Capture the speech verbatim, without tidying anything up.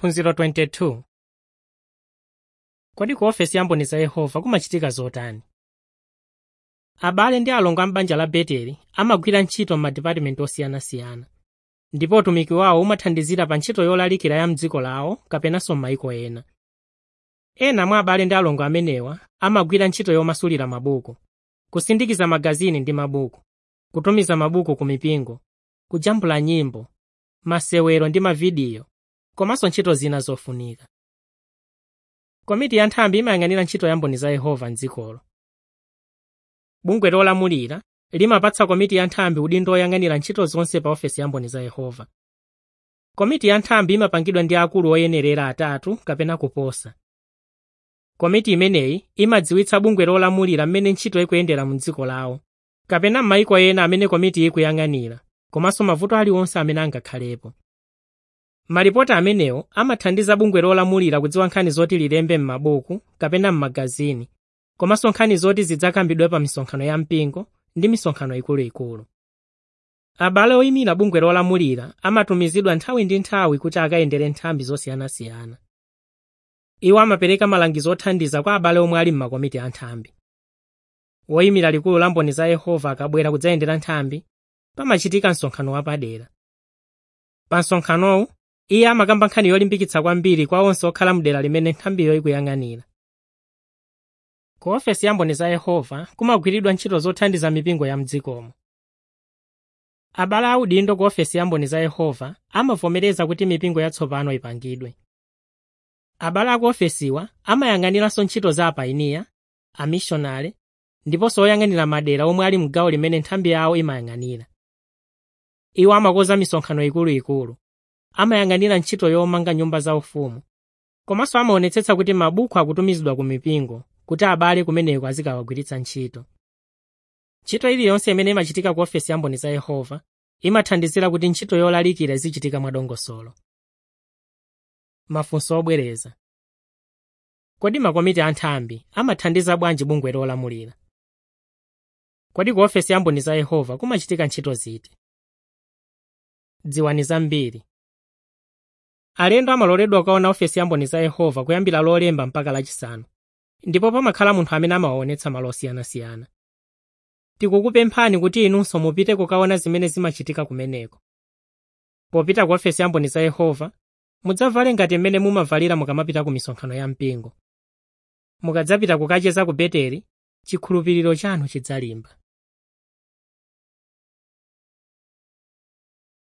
Phunziro makumi awiri ndi awiri. Kodi ku ofesi ya Mboni za Yehova kumachitika zotani? Abale ndi alongo a m'banja la Beteli amagwira ntchito m'madipatimenti osiyanasiyana, ndipo utumiki wawo umathandizira pa ntchito yolalikira ya m'dziko lawo kapenanso m'mayiko ena. Ena mwa abale ndi alongo amenewa amagwira ntchito yomasulira mabuku, kusindikiza magazini ndi mabuku, kutumiza mabuku ku mipingo, kujambula nyimbo, masewero ndi mavidiyo, komanso ntchito zina zofunika. Komiti ya nthambi imayang'anira ntchito ya Mboni za Yehova m'dzikolo. Bungwe lolamulira limapatsa komiti ya nthambi udindo woyang'anira ntchito zonse pa ofesi ya Mboni za Yehova. Komiti ya nthambi imapangidwa ndi akulu oyenerera atatu kapena kuposa. Komiti imeneyi imadziwitsa bungwe lolamulira mmene ntchito ikuyendera mu dziko lawo, kapena m'mayiko ena amene komiti ikuyang'anira, komanso mavuto aliwonse amene angakhalepo. Malipoti amenewo amathandiza bungwe lolamulira kudziwa nkhani zoti lilembe m'mabuku kapena m'magazini, komanso nkhani zoti zidzakambidwe pa misonkhano ya mpingo ndi misonkhano ikuluikulu. Abale oyimira bungwe lolamulira amatumizidwa nthawi ndi nthawi kuti akayendere nthambi zosiyanasiyana. Iwo amapereka malangizo othandiza kwa abale omwe ali m'makomiti a nthambi. Woyimira likulu la Mboni za Yehova akabwera kudzayendera nthambi, pamachitika msonkhano wapadera. Pa msonkhanowu, iye amakamba nkhani yolimbikitsa kwambiri kwa onse okhala mdera limene nthambiyo ikuyang'anira. Ku ofesi ya Mboni za Yehova kumagwiridwa ntchito zothandiza mipingo ya mdzikomo. Abale audindo ku ofesi ya Mboni za Yehova amavomereza kuti mipingo yatsopano ipangidwe. Abale aku ofesiwa amayang'aniranso ntchito za apainiya, amishonale, ndiponso oyang'anira madera omwe ali mgawo limene nthambi yawo imayang'anira. Iwo amakonza misonkhano ikuluikulu, amayang'anira ntchito yomanga nyumba zaufumu, komanso amaonetsetsa kuti mabuku akutumizidwa ku mipingo kuti abale kumeneko azikawagwiritsa ntchito. Ntchito iliyonse imene imachitika ku ofesi ya Mboni za Yehova imathandizira kuti ntchito yolalikira izichitika mwadongosolo. Mafunso obwereza. Kodi makomiti a nthambi amathandiza bwanji bungwe lolamulira? Kodi ku ofesi ya Mboni za Yehova kumachitika ntchito ziti? Dziwani zambiri. Alendo amaloledwa kukaona ofesi ya Mboni za Yehova kuyambira Lolemba mpaka Lachisanu, ndipo pamakhala munthu amene amawaonetsa malo osiyanasiyana. Tikukupemphani kuti inunso mupite kukaona zimene zimachitika kumeneko. Popita ku ofesi ya Mboni za Yehova, mudzavale ngati mmene mumavalira mukamapita ku misonkhano ya mpingo. Mukadzapita kukacheza ku Beteli, chikhulupiriro chanu chidzalimba.